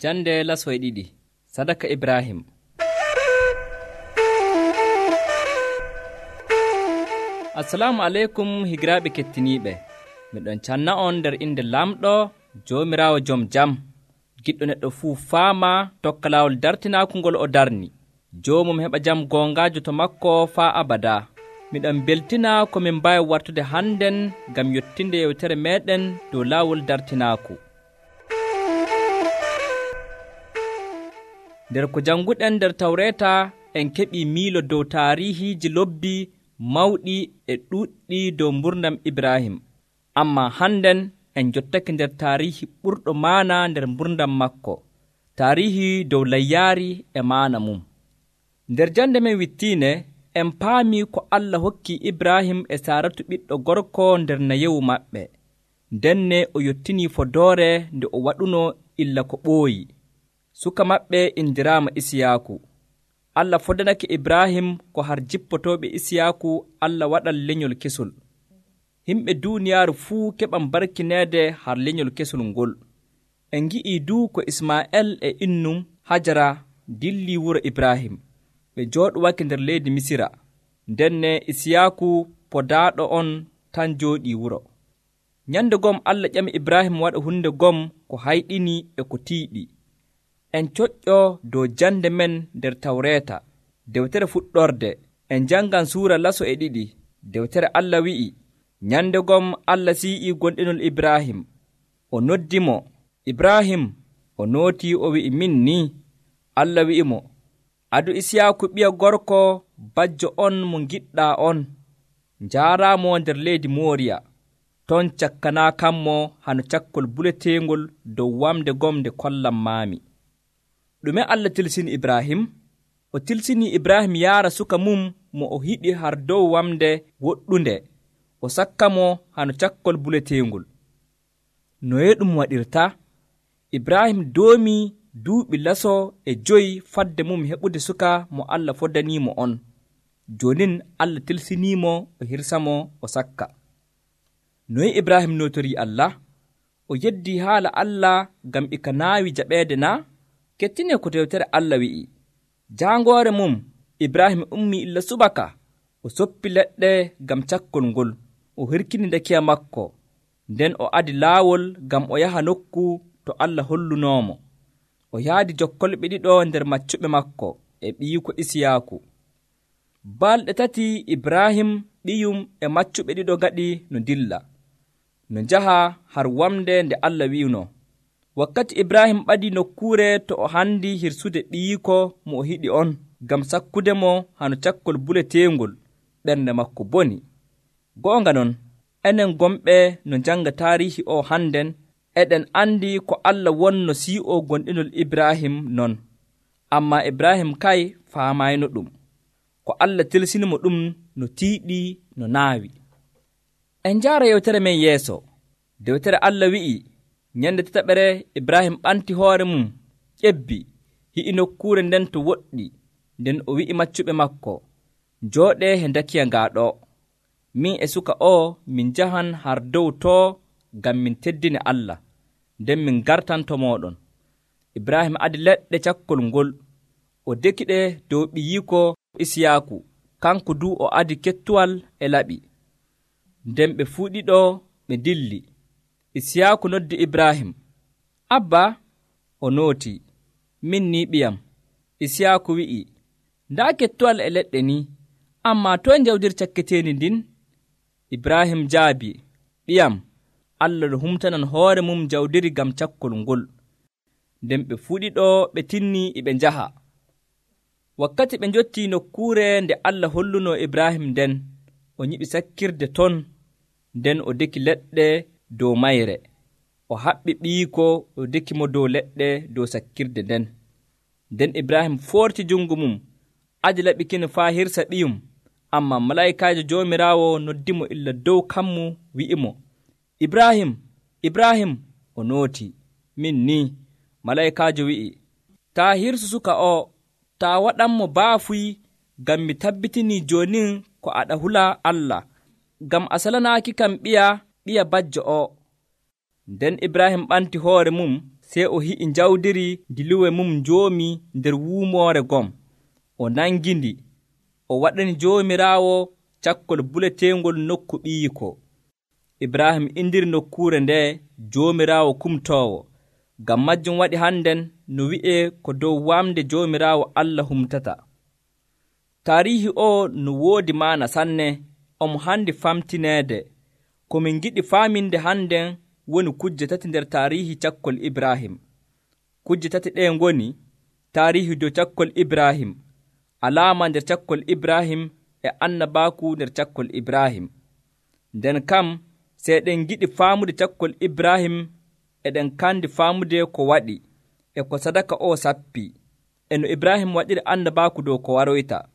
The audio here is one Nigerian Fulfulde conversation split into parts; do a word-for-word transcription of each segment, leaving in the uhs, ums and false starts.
Jande lasoy ɗiɗi sadaka Ibrahim. Assalamu aleykum higiraaɓe kettiniiɓe. Miɗon canna on nder inde lamɗo Joomiraawo joom jam, giɗɗo neɗɗo fuu faama tokka laawol dartinaaku ngol o darni. Joomum heɓa jam goongaajo to makko faa abada. Miɗon beltina ko min mbaawi wartude hannden ngam yottinde yewtere meeɗen dow laawol dartinaaku. Nder ko jannguɗen nder Tawreeta en keɓii miilo dow taariihiiji lobbi mawɗi e ɗuuɗɗi dow mburdam Ibrahim. Ammaa hannden en jottake nder taariihi ɓurɗo maana nder mburdam makko, taariihi dow layyaari e maana mum. Nder jande men wittiine en paami ko Allah hokki Ibrahim e Saaratu ɓiɗɗo gorko nder nayewu maɓɓe. Ndenne o yottinii fodoore nde o waɗuno illa ko ɓooyi. Suka maɓɓe indiraama Isiyaaku. Allah fodanake Ibrahim ko har jippotooɓe Isiyaaku Allah waɗan lenyol kesol. Himɓe duuniyaaru fuu keɓan barkineede har lenyol kesol ngol. En ngi'ii duu ko Ismaa'el e innum Hajara dilli wuro Ibrahim. Ɓe jooɗowake nder leydi Misira. Ndenne Isiyaaku podaaɗo on tan jooɗii wuro. Nyande gom Allah ƴami Ibrahim waɗa hunde gom ko hayɗini e ko tiiɗi. En coƴƴo dow jande men nder Tawreeta. Dewtere fuɗɗorde en jangan suura laso e ɗiɗi. Dewtere Allah wi'i, nyande gom Allah si'ii gonɗinol Ibrahim. O noddimo, Ibrahim. O nootii o wi'i, min ni. Allah wi'imo, adu Isiyaaku ɓiya gorko bajjo on mo giɗɗaa on. Njaaraamo nder leydi Mooriya. Ton cakkanaa kammo hano cakkol buleteengol dow wamde gom nde kollam maami. Ɗume Allah tilsini Ibrahim? O tilsini Ibrahim yaara suka mum mo o hiɗi har dow wamde woɗɗunde, o sakka mo hano cakkol buleteengol. Noye ɗum waɗirta? Ibrahim doomii duuɓi laso e joyi fadde mum heɓude suka mo Allah fodaniimo on. Joonin Allah tilsiniimo o hirsamo o sakka. Noye Ibrahim nootorii Allah? O yeddii haala Allah ngam ika naawi jaɓeede naa? Kettine ko dewtere Allah wi'i. Jaangoore mum Ibrahim ummii illa subaka. O soppi leɗɗe ngam cakkol ngol. O hirkini dakiya makko. Nden o adi laawol ngam o yaha nokku to Allah hollunoomo. O yaadi jokkolɓe ɗiɗo nder maccuɓe makko e ɓiyiko Isiyaaku. Balɗe tati Ibrahim ɓiyum e maccuɓe ɗiɗo gaɗi no dilla, no njaha har wamde nde Allah wi'uno. Wakkati Ibrahim ɓadii nokkuure to o handi hirsude ɓiyiko mo o hiɗi on, ngam sakkude mo hano cakkol buleteengol, ɓernde makko boni. Goonga non, enen gomɓe no njanga taariihi o hannden, eɗen andi ko Allah wonno sii'o gonɗinol Ibrahim non. Ammaa Ibrahim kay faamayno ɗum. Ko Allah tilsinimo ɗum no tiiɗi no naawi. En njaara yewtere men yeeso. Dewtere Allah wi'i, nyande tataɓere Ibrahim ɓanti hoore mum, ƴebbi, hi'i nokkuure nden to woɗɗi. Nden o wi'i maccuɓe makko, njooɗee he dakiya ngaaɗo. Min e suka o min njahan har dow too ngam min teddine Allah, nden min gartan to mooɗon. Ibrahim adi leɗɗe cakkol ngol, o dekiɗe dow ɓiyiko Isiyaaku, kanko du o adi kettuwal e laɓi. Nden ɓe fuu ɗiɗo ɓe dilli. Isiyaaku noddi Ibrahim, Abba. O nooti, min ni ɓiyam. Isiyaaku wi'i, ndaa kettuwal e leɗɗe ni, ammaa toye njawdir cakketeeni ndin? Ibrahim jaabi, ɓiyam, Allah no humtanan hoore mum jawdiri ngam cakkol ngol. Nden ɓe fuu ɗiɗo ɓe tinni e ɓe njaha. Wakkati ɓe njottii nokkuure nde Allah holluno Ibrahim nden, o nyiɓi sakkirde ton, nden o deki leɗɗe dow mayre. O haɓɓi ɓiyiko, o deki mo dow leɗɗe dow sakkirde nden. Nden Ibrahim foorti jungo mum, aji laɓi kine faa hirsa ɓiyum. Ammaa malaa'ikaajo Joomiraawo noddimo illa dow kammu wi'imo, Ibrahim, Ibrahim. O nooti, min ni. Malaa'ikaajo wi'i, taa hirsu suka o, taa waɗanmo baafuy, ngam mi tabbitinii joonin ko aɗa hula Allah, ngam a salanaaki kam ɓiya ɓiya bajjo o. Nden Ibrahim ɓanti hoore mum, sey o hi'i jawdiri diluwe mum njoomi nder wuumoore gom, o nangindi, o waɗani Joomiraawo cakkol buleteengol nokku ɓiyiko. Ibrahim indiri nokkuure nde Joomiraawo kumtoowo. Ngam majjum waɗi hannden no wi'ee ko dow wamde Joomiraawo Allah humtata. Taariihi o no woodi maana sanne, omo handi famtineede. Ko min giɗi faaminde hannden woni kujje tati nder taariihi cakkol Ibrahim. Kujje tati ɗee ngoni taariihi dow cakkol Ibrahim, alaama nder cakkol Ibrahim e annabaaku nder cakkol Ibrahim. Nden kam sey ɗen giɗi faamude cakkol Ibrahim, eɗen kandi faamude ko waɗi e ko sadaka o sappi, e no Ibrahim waɗiri annabaaku dow ko waroyta.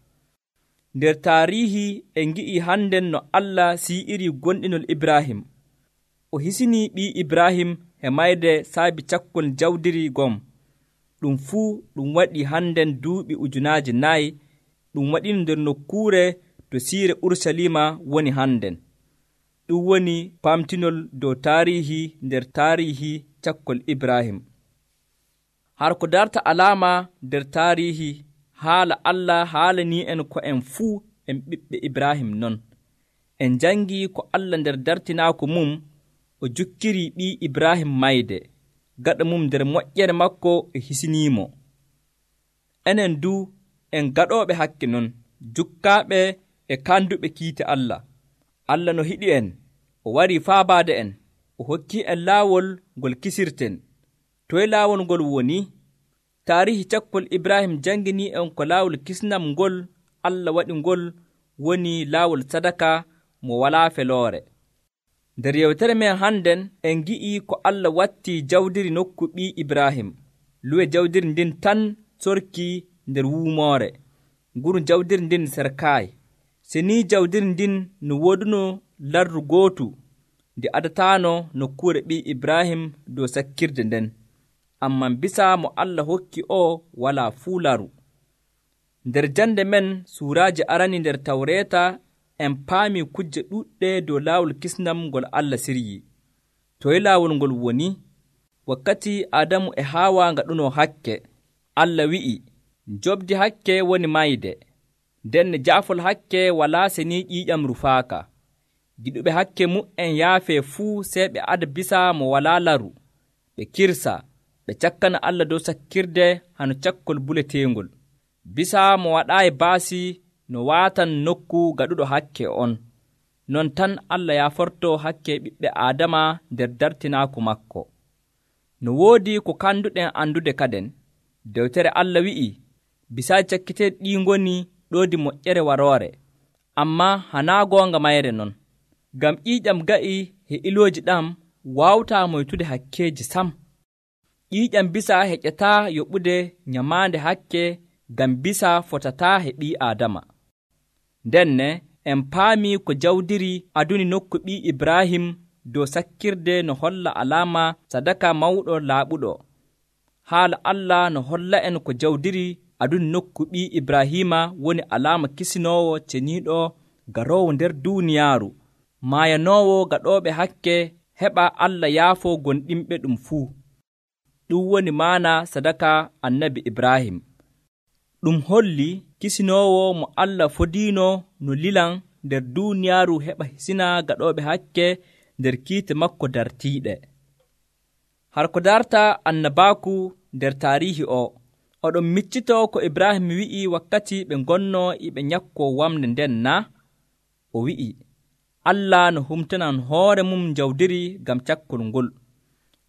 Nder taariihi en ngi'ii hannden no Allah sii'iri gonɗinol Ibrahim. O hisinii ɓii Ibrahim e mayde saabi cakkol jawdiri gom. Ɗum fuu ɗum waɗii hannden duuɓi ujunaaje nayi, ɗum waɗino nder nokkuure to siire Urusalima woni hannden. Ɗum woni pamtinol dow taariihi nder taariihi cakkol Ibrahim. Har ko darta alaama nder taariihi, haala Allah haalanii en ko en fuu en ɓiɓɓe Ibrahim non. En jangii ko Allah nder dartinaako mum o jukkirii ɓii Ibrahim mayde, gaɗa mum nder moƴƴere makko e hisiniimo. Enen du en gaɗooɓe hakke non, jukkaaɓe e kanduɓe kiite Allah. Allah no hiɗi en, o warii faabaade en, o hokkii en laawol ngol kisirten. Toye laawol ngol woni? Taariihi cakkol Ibrahim janginii en ko laawol kisnam ngol Allah waɗi ngol woni laawol sadaka mo walaa feloore. Nder yewtere men hannden en ngi'ii ko Allah wattii jawdiri nokku ɓii Ibrahim. Luwe jawdiri ndin tan sorkii nder wuumoore. Nguru jawdiri ndin serkaayi. Se ni jawdiri ndin no wooduno lardu gootu ndi adataano nokkuure ɓii Ibrahim dow sakkirde nden. Amman bisa mo Allah hokki o walaa fuu laru. Nder jande men suuraaji arani nder Tawreeta en paami kujje ɗuɗɗe dow laawol kisnam ngol Allah siryi. Toye laawol ngol woni? Wakkati Adamu e Haawa ngaɗuno hakke, Allah wi'i, jobdi hakke woni mayde, nden jaafol hakke walaa seni ƴiiƴam rufaaka. Giɗuɓe hakke mu'en yaafee fuu sey ɓe ada bisa mo walaa laru, ɓe kirsa, ɓe cakkana Allah dow sakkirde hano cakkol buleteengol. Bisa mo waɗaayi baasi no waatan nokku gaɗuɗo hakke on. Non tan Allah yaaforto hakke ɓiɓɓe Aadama nder dartinaaku makko. No woodi ko kanduɗen andude kaden, dewtere Allah wi'i, bisaaji cakkiteeɗi ɗi ngoni ɗoodi moƴƴere waroore, ammaa hanaa goonga mayre non. Ngam ƴiiƴam ga'i he ilooji ɗam waawtaa moytude hakkeeji sam. Ƴiiƴam bisa heƴataa yoɓude nyamaande hakke, ngam bisa fotataa he ɓii Aadama. Ndenne en paami ko jawdiri aduni nokku ɓii Ibrahim dow sakkirde no holla alaama sadaka mawɗo laaɓuɗo. Haala Allah no holla en ko jawdiri aduni nokku ɓii Ibrahima woni alaama kisinoowo ceniiɗo garoowo nder duuniyaaru, maayanoowo gaɗooɓe hakke heɓa Allah yaafoo gonɗinɓe ɗum fuu. Ɗum woni maana sadaka annabi Ibrahim. Ɗum holli kisinoowo mo Allah fodiino no lilan nder duuniyaaru heɓa hisina gaɗooɓe hakke nder kiite makko dartiiɗe. Har ko darta annabaaku nder taariihi o, oɗon miccitoo ko Ibrahim wi'i wakkati ɓe ngonnoo e ɓe nyakkoo wamde nden na? O wi'i, Allah no humtanan hoore mum jawdiri ngam cakkol ngol.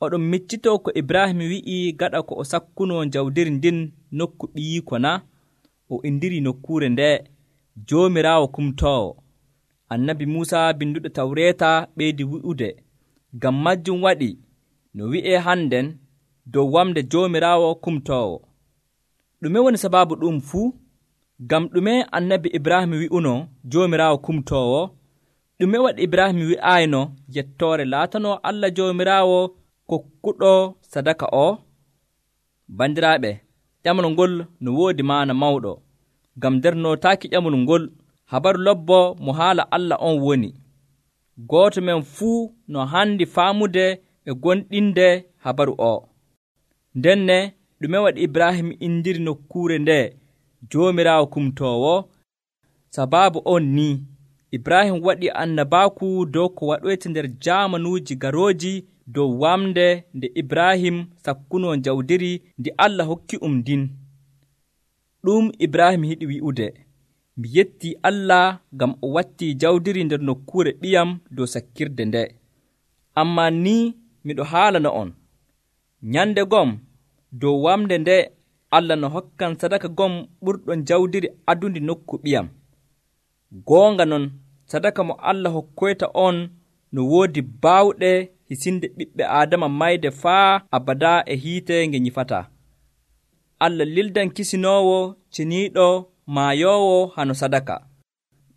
Oɗon miccitoo ko Ibrahim wi'i gaɗa ko o sakkunoo jawdiri ndin nokku ɓiyiiko na? O indiri nokkuure nde Joomiraawo kumtoowo. Annabi Muusa binduɗo Tawreeta ɓeydi wi'ude, ngam majjum waɗi no wi'ee hannden dow wamde Joomiraawo kumtoowo. Ɗume woni sababu ɗum fuu? Ngam ɗume annabi Ibrahim wi'uno Joomiraawo kumtoowo? Ɗume waɗi Ibrahim wi'ayno yettoore laatanoo Allah Joomiraawo kokkuɗo sadaka o? Bandiraaɓe, ƴamol ngol no woodi maana mawɗo. Ngam nder nootaaki ƴamol ngol, habaru lobbo mo haala Allah on woni. Gooto men fuu no handi faamude e gonɗinde habaru o. Ndenne ɗume waɗi Ibrahim indiri nokkuure nde Joomiraawo kumtoowo? Sabaabu on ni Ibrahim waɗi annabaaku dow ko waɗoyta nder jaamanuuji garooji dow wamde nde Ibrahim sakkunoo jawdiri ndi Allah hokki um ndin. Ɗum Ibrahim yiɗi wi'ude, mi yettii Allah ngam o wattii jawdiri nder nokkuure ɓiyam dow sakkirde nde. Ammaa ni miɗo haalana on, nyande gom dow wamde nde Allah no hokkan sadaka gom ɓurɗon jawdiri adundi nokku ɓiyam. Goonga non sadaka mo Allah hokkoyta on no woodi baawɗe hisinde ɓiɓɓe Aadama mayde faa abada e hiite nge nyifataa. Allah lildan kisinoowo ceniiɗo maayoowo hano sadaka.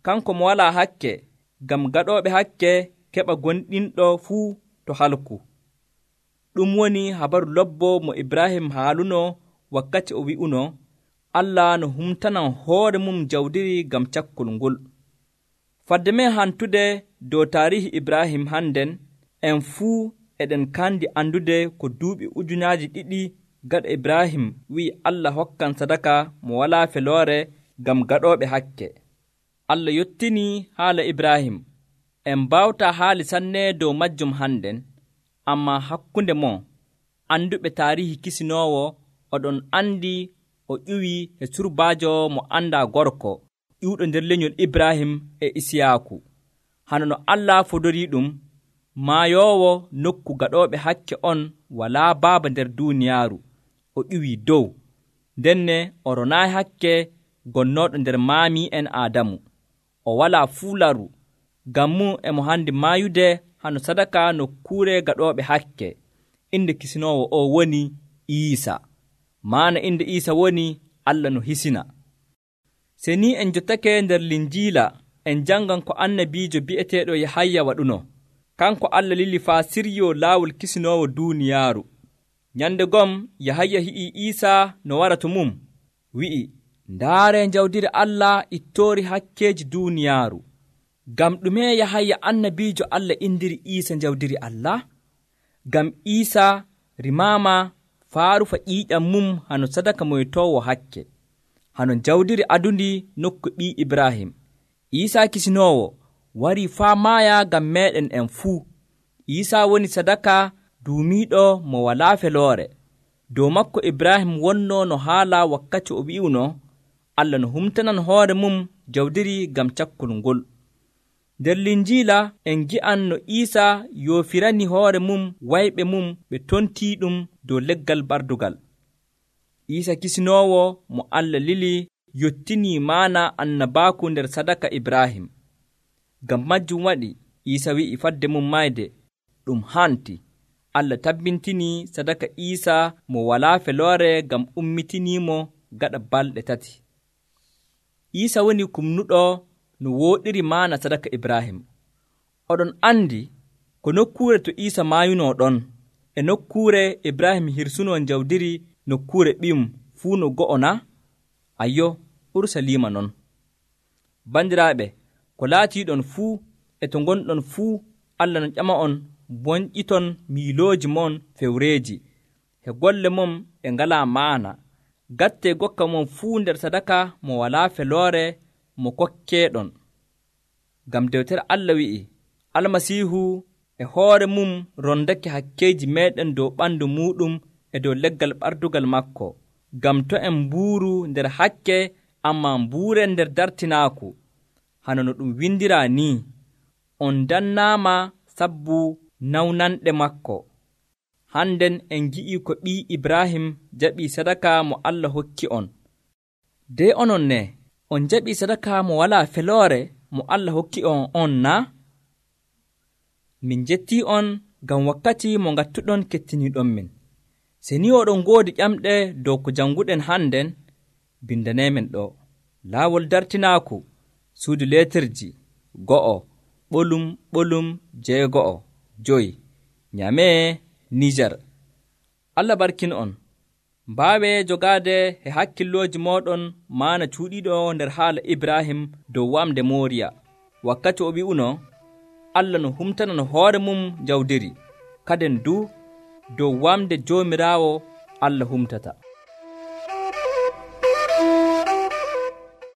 Kanko mo walaa hakke, ngam gaɗooɓe hakke keɓa gonɗinɗo fuu to halku. Ɗum woni habaru lobbo mo Ibrahim haaluno wakkati o wi'uno, Allah no humtanan hoore mum jawdiri ngam cakkol ngol. Fadde men hantude dow taarihi Ibrahim hannden, en fuu eɗen kandi andude ko duuɓi ujunaaji ɗiɗi gaɗa Ibrahim wi'i Allah hokkan sadaka mo walaa feloore ngam gaɗooɓe hakke. Allah yottinii haala Ibrahim. En mbawtaa haali sanne dow majjum hannden, ammaa hakkunde mon anduɓe taarihi kisinoowo oɗon andi o ƴuwii e surbaajo mo andaa gorko ƴuwɗo nder lenyol Ibrahim e Isiyaaku. Hano no Allah fodorii ɗum, maayoowo nokku gaɗooɓe hakke on walaa baaba nder duuniyaaru, o ƴuwii dow, ndenne o ronaayi hakke gonnooɗo nder maami'en Aadamu. O walaa fuularu, ngam mum emo handi maayude hano sadaka nokkuure gaɗooɓe hakke. Inde kisinoowo o woni Iisa. Maana inde Iisa woni Allah no hisina. Se ni en jottake nder Linjiila en jangan ko annabiijo bi'eteeɗo Yahaya waɗuno. Kanko Allah lili faa siryoo laawol kisinoowo duuniyaaru. Nyande gom Yahaya hi'i Iisa no wara to mum, wi'i, ndaare jawdiri Allah ittoori hakkeeji duuniyaaru. Ngam ɗume Yahaya annabiijo Allah indiri Iisa jawdiri Allah? Ngam Iisa rimaama faa rufa ƴiiƴam mum hano sadaka moytoowo hakke, hano jawdiri adundi nokku ɓii Ibrahim. Iisa kisinoowo warii faa maaya ngam meeɗen en fuu. Iisa woni sadaka duumiiɗo mo walaa feloore. Dow makko Ibrahim wonnoo no haala wakkati o wi'uno, Allah no humtanan hoore mum jawdiri ngam cakkol ngol. Nder Linjiila en gi'an no Iisa yoofirani hoore mum wayɓe mum ɓe tontii ɗum dow leggal bardugal. Iisa kisinoowo mo Allah lili yottinii maana annabaaku nder sadaka Ibrahim. Ngam majjum waɗi Iisa wi'i fadde mum mayde, ɗum hanti. Allah tabbintinii sadaka Iisa mo walaa feloore ngam ummitiniimo gaɗa balɗe tati. Iisa woni kumnuɗo no wooɗiri maana sadaka Ibrahim. Oɗon andi ko nokkuure to Iisa maayunoo ɗon e nokkuure Ibrahim hirsunoo jawdiri nokkuure ɓiyum fuu no go'o na? Ayyo, Urusalima non. Bandiraaɓe, ko laatiiɗon fuu e to ngonɗon fuu, Allah no ƴama on bonƴiton miilooji mon fewreeji, he golle mum e ngalaa maana. Gattee gokka mon fuu nder sadaka mo walaa feloore mo kokkeeɗon. Ngam dewtere Allah wi'i, Almasiihu e hoore mum rondake hakkeeji meeɗen dow ɓandu muuɗum e dow leggal ɓardugal makko. Ngam to en mbuuru nder hakke, ammaa mbuuren nder dartinaaku. Hano no ɗum windiraa ni, on dannaama sabbu nawnanɗe makko. Hannden en gi'ii ko ɓii Ibrahim jaɓii sadaka mo Allah hokki on. De onon ne, on jaɓii sadaka mo walaa feloore mo Allah hokki on on na? Min jettii on ngam wakkati mo ngattuɗon kettiniiɗon min. Se ni oɗon ngoodi ƴamɗe dow ko jannguɗen hannden, bindaneemen ɗo. Laawol dartinaaku, suudu leetirji, go'o, ɓolum ɓolum jeego'o, joyi, Nyamee, Nijar. Allah barkin on. Mbaawee jogaade e hakkillooji mooɗon maana cuuɗiiɗo nder haala Ibrahim dow wamde Mooriya, wakkati o wi'uno, Allah no humtanan hoore mum jawdiri. Kaden du dow wamde Joomiraawo Allah humtata.